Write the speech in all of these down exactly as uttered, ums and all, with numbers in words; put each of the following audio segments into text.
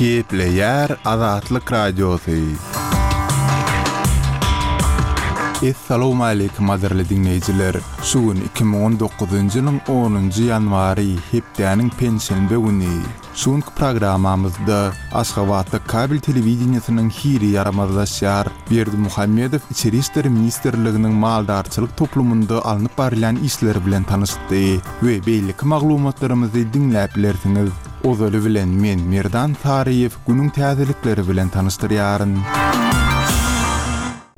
Gepleýär Azatlyk Radiosy. Essalawmaleýkim gadyrly diňleýjiler! Şu gün iki müň on dokuzynjy ýylyň onunjy ýanwary, hepdäniň penşenbe güni. Şu günki programmamyzda Aşgabatda kabel telewideniýesiniň hili ýaramazlaşýar. Berdimuhamedow Içeri işler ministrliginiň maldarçylyk toplumynda alnyp barylýan işler bilen tanyşdy we beýleki maglumatlarymyzy diňläp bilersiňiz. Ozaly bilen men Merdan Saryýew günüň täzelikleri bilen tanyşdyrýaryn.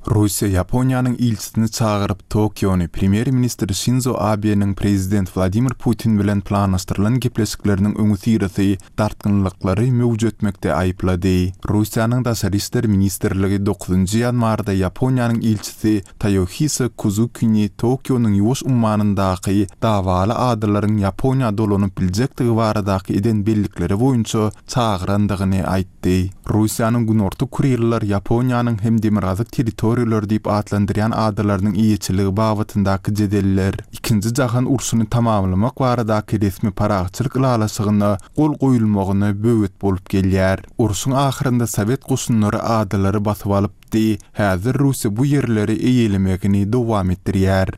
Russiýa Ýaponiýanyň ilçisini çagyryp, Tokiony premýer-ministr Şinzo Abeniň prezident Wladimir Putin bilen planlaşdyrylan gepleşikleriniň öňüsyrasy dartgynlyklary möwjetmekde aýyplady. Russiýanyň Daşary işler ministrligi dokuzynjy ýanwarda Ýaponiýanyň ilçisi Toýohisa Kuzukini Tokionyň Ýuwaş ummanyndaky dawaly adalaryň Ýaponiýa dolanyp biljekdigi baradaky eden bellikleri boýunça çagyrandygyny aýtdy. Russiýanyň Günorta Kuriller Ýaponiýanyň hem Demirgazyk territoriýalary diýip atlandyrýan adalarynyň eýeçiligi babatyndaky jedeller Ikinji jahan urşuny tamamlamak baradaky resmi parahatçylyk ylalaşygyna gol goýulmagyna böwet bolup gelýär. Urşuň ahyrynda sowet goşunlary adalary basyp alypdy, häzir Russiýa bu ýerleri eýelemegini dowam etdirýär.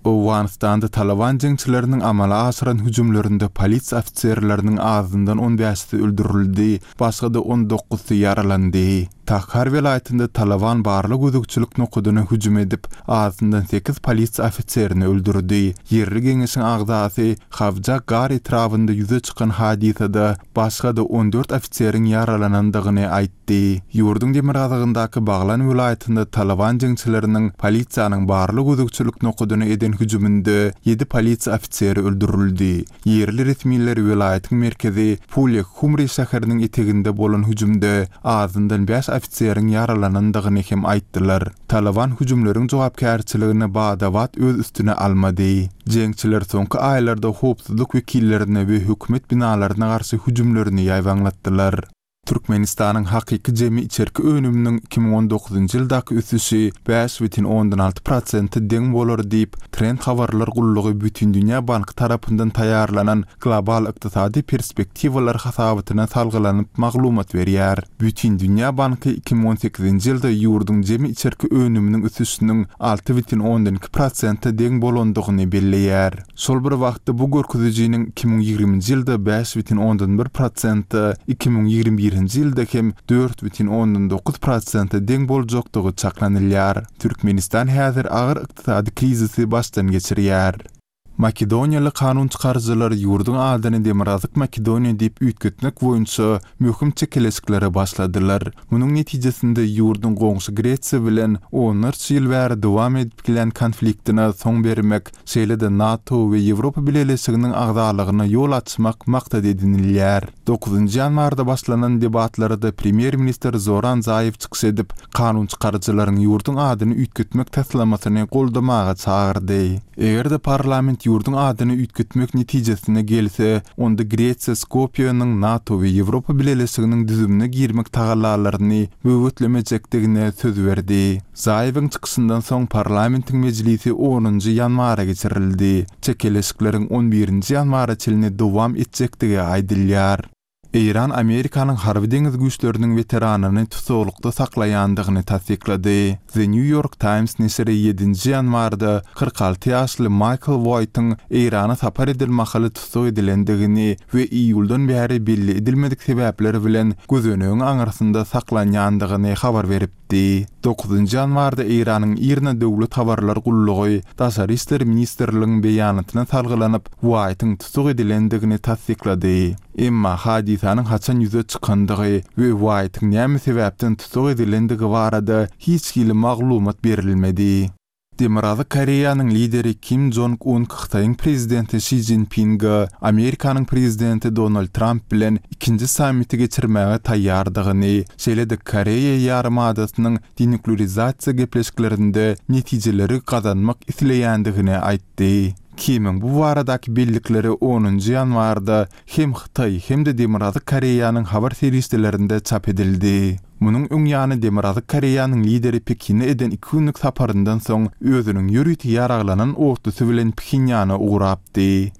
Owganystanda Talaban jeňçileriniň amala aşyran hüjümlerinde polisiýa ofiserleriniň azyndan on bäşisi öldürildi, başga-da on dokuzsy ýaralandy. Takhar welaýatynda Talaban barlag-gözegçilik nokadyna hüjüm edip, azyndan sekiz polisiýa ofiserini öldürdi. Ýerli geňeşiň agzasy Hawja Gar etrabynda ýüze çykan hadysada başga-da on dört ofiseriň ýaralanandygyny aýtdy. Ýurduň demirgazygyndaky Baglan welaýatynda Talaban jeňçileriniň polisiýanyň barlag-gözegçilik nokadyna eden hüjüminde ýedi polisiýa ofiseri öldürildi. Ýerli resmiler welaýatyň merkezi Pulek Humri şäheriniň eteginde bolan hüjümde azyndan bäş ofiseriň ýaralanandygyny hem aýtdylar. Talaban hüjümleriň jogapkärçiligini bada-bat öz üstüne almady. Jeňçiler soňky aýlarda howpsuzlyk wekillerine we hökümet binalaryna garşy hüjümlerini ýaýbaňlatdylar. Türkmenistanyň hakyky jemi içerki önüminiň iki müň on dokuzynjy ýyldaky ösüşi bäş bütin ondan alty prosente deň bolar diýip, Trend habarlar gullugy Bütindünýä banky tarapyndan taýýarlanan global ykdysady perspektiwalar hasabatyna salgylanyp maglumat berýär. Bütindünýä banky iki müň on sekizinji ýylda ýurduň jemi içerki önüminiň ösüşiniň alty bütin ondan iki prosente deň bolandygyny belleýär. Şol bir wagtda bu görkezijiniň iki müň ýigriminji ýylda bäş bütin ondan bir prosente, iki müň ýigrimi birinji ýylda hem dört bütin ondan dokuz prosente deň boljakdygy çaklanylýar. Türkmenistan häzir agyr ykdysady krizisi başdan geçirýär. Makedoniýaly kanun çykaryjylar ýurduň adyny Demirgazyk Makedoniýa diýip üýtgetmek boýunça möhüm çekeleşiklere başladylar. Munuň netijesinde ýurduň goňşy Gresiýa bilen onlarça ýyl bäri dowam edip gelen konfliktine soň bermek, şeýle-de NATO we Ýewropa Bileleşiginiň agzalygyna ýol açmak maksat edinilýär. Dokuzynjy ýanwarda başlanan debatlarda premýer-ministr Zoran Zaýew çykyş edip, kanun çykaryjylaryň ýurduň adyny üýtgetmek taslamasyny goldamaga çagyrdy. Eger-de parlament ýurduň adyny üýtgetmek netijesine gelse, onda Gresiýa Skopýanyň NATO we Ýewropa Bileleşiginiň düzümine girmek tagallalaryny böwetlemejekdigine söz berdi. Zaýewiň çykyşyndan soň parlamentiň mejlisi onunjy ýanwara geçirildi. Çekeleşikleriň on birinji ýanwara çenli dowam etjekdigi aýdylýar. Eýran Amerikanyň harby deňiz güýçleriniň weteranyny tussaglykda saklaýandygyny tassyklady. The New York Times neşiri ýedinji ýanwarda kyrk alty ýaşly Maýkl Uaýtyň Eýrana sapar eden mahaly tussag edilendigini we iýuldan bäri belli edilmedik sebäpler bilen gözenegiň aňyrsynda saklanýandygyny habar beripdi. Dokuzynjy ýanwarda Eýranyň IRNA döwlet habarlar gullugy Daşary işler ministrligiň beýanatyna salgylanyp, Uaýtyň tussag edilendigini tassyklady. Emma hadysanyň haçan ýüze çykandygy we Uaýtyň näme sebäpden tussag edilendigi barada hiç hili maglumat berilmedi. Demirgazyk Koreýanyň lideri Kim Jong Un Hytaýyň prezidenti Şi Szinpinge Amerikanyň prezidenti Donald Tramp bilen ikinji sammiti geçirmäge taýýardygyny, şeýle-de Koreýa ýarymadasynyň denuklearizasiýa gepleşiklerinde netijeleri gazanmak isleýändigini aýtdy. Kimiň bu baradaky bellikleri onunjy ýanwarda hem Hytaý, hem-de Demirgazyk Koreýanyň habar serişdelerinde çap edildi. Munuň öň ýany Demirgazyk Koreýanyň lideri Pekine eden iki günlük saparyndan soň özüniň ýörite ýaraglanan otlusy bilen Phenýana ugrapdy.